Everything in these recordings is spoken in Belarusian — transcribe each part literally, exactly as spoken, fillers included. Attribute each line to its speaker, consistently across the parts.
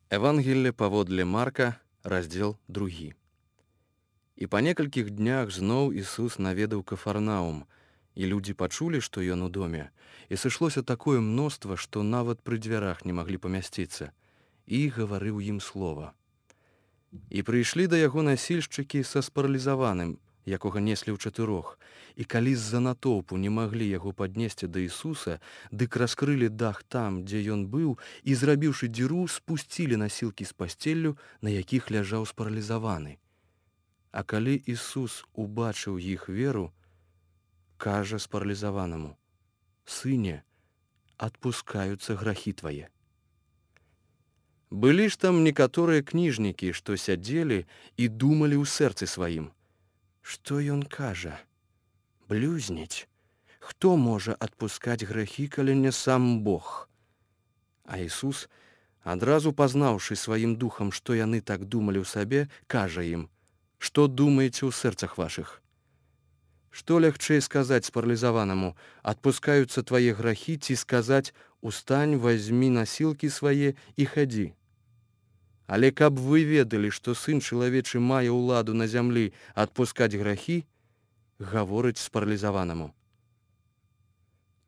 Speaker 1: Евангелие паводле Марка, раздзел другі. І па некалькіх днях зноў Ісус наведаў Кафарнаум, і людзі пачулі, што ён у доме, і сышлося такое мноства, што нават пры дзвярах не маглі памясціцца, і гаварыў ім слова. І прыйшлі да яго насільшчыкі са спаралізаваным, якога неслі ў чатырох, і калі з-за натоўпу не маглі яго паднесці да Ісуса, дык раскрылі дах там, дзе ён быў, і, зрабіўшы дзіру, спусцілі насілкі з пасцеллю, на якіх ляжаў спаралізаваны. А калі Ісус убачыў іх веру, кажа спаралізаванаму: «Сыне, адпускаюцца грахі твае». Былі ж там некаторыя кніжнікі, што сядзелі і думалі ў сэрцы сваім: «Што ён кажа? Блюзніць? Хто можа адпускаць грахі, калі не сам Бог?» А Ісус, адразу пазнаўшы сваім духам, што яны так думалі ў сабе, кажа ім: «Што думаеце ў сэрцах вашых? Што лягчэй сказаць спаралізаванаму: адпускаюцца твае грахі, ці сказаць: устань, вазьмі насілкі свае і хадзі? Але каб вы ведалі, што Сын чалавечы мае ўладу на зямлі адпускаць грахі, гаворыць спаралізаванаму: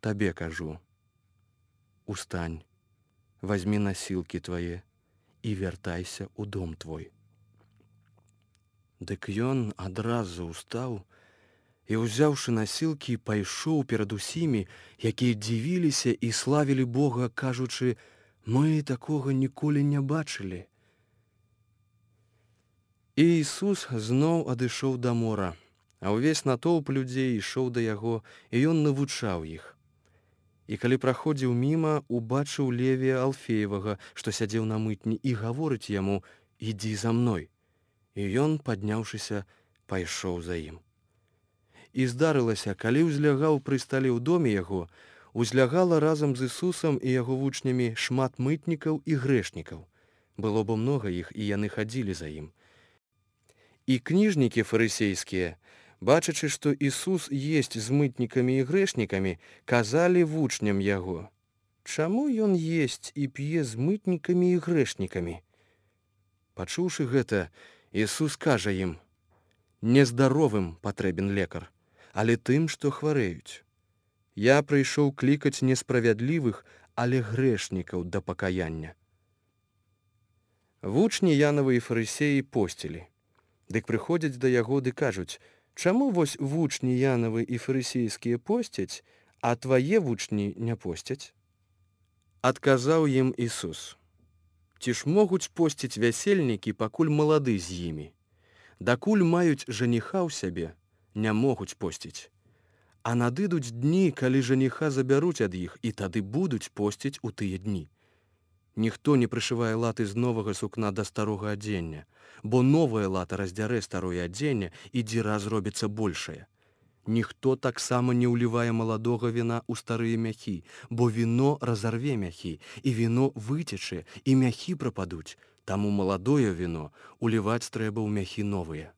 Speaker 1: табе кажу, устань, вазьмі насілкі твае і вяртайся ў дом твой». Дык ён адразу ўстаў і, узяўшы насілкі, пайшоў перад усімі, якія дзівіліся і славілі Бога, кажучы: «Мы такога ніколі не бачылі». І Ісус зноў адышоў да мора, а ўвесь натоўп людзей ішоў да яго, і ён навучаў іх. І калі праходзіў міма, убачыў Левія Алфеевага, што сядзеў на мытні, і гаворыць яму: «Ідзі за мной». І ён, падняўшыся, пайшоў за ім. І здарылася, калі ўзлягаў пры стале ў доме яго, узлягала разам з Ісусам і яго вучнямі шмат мытнікаў і грэшнікаў. Было бо многа іх, і яны хадзілі за ім. І кніжнікі фарысейскія, бачачы, што Ісус есць з мытнікамі і грэшнікамі, казалі вучням яго: «Чаму ён есць і п'е з мытнікамі і грэшнікамі?» Пачуўшы гэта, Ісус кажа ім: «Нездаровым патрэбен лекар, але тым, што хварэюць. Я прыйшоў клікаць не справядлівых, але грэшнікаў да пакаяння». Вучні Янавы і фарысеі посцілі. Дык прыходзяць да яго ды кажуць: «Чаму вось вучні Янавы і фарысейскія посцяць, а твае вучні не посцяць?» Адказаў ім Ісус: «Ці ж могуць посціць вясельнікі, пакуль малады з імі? Дакуль маюць жаніха ў сябе, не могуць посціць. А надыдуць дні, калі жаніха забяруць ад іх, і тады будуць посціць у тыя дні. Ніхто не прышывае латы з новага сукна да старога адзення, бо новае лата раздзярэ старое адзенне, і дзіра зробіцца большая. Ніхто таксама не ўлівае маладога віна ў старыя мяхі, бо віно разарве мяхі, і віно выцечэ, і мяхі прападуць, таму маладое віно уліваць трэба ў мяхі новыя».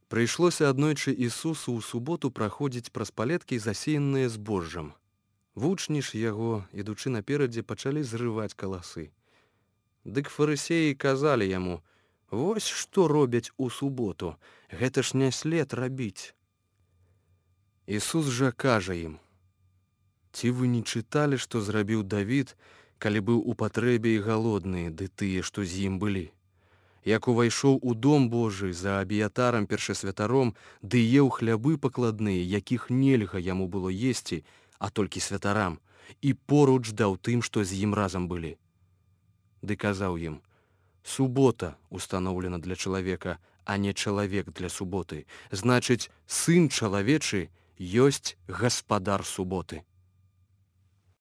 Speaker 1: Прыйшлося аднойчы Ісусу ў суботу праходзіць праз палеткі, засеяныя збожжам. Вучні ж яго, ідучы наперадзе, пачалі зрываць каласы. Дык фарысеі казалі яму: «Вось што робяць у суботу, гэта ж не след рабіць». Ісус жа кажа ім: «Ці вы не чыталі, што зрабіў Давід, калі быў у патрэбе і галодны, ды тыя, што з ім былі? Як увайшоў у дом Божы за Абіятарам першасвятаром, ды еў хлябы пакладныя, якіх нельга яму было есці, а толькі святарам, і поруч даў тым, што з ім разам былі. Ды казаў ім: субота устаноўлена для чалавека, а не чалавек для суботы. Значыць, Сын чалавечы ёсць гаспадар суботы».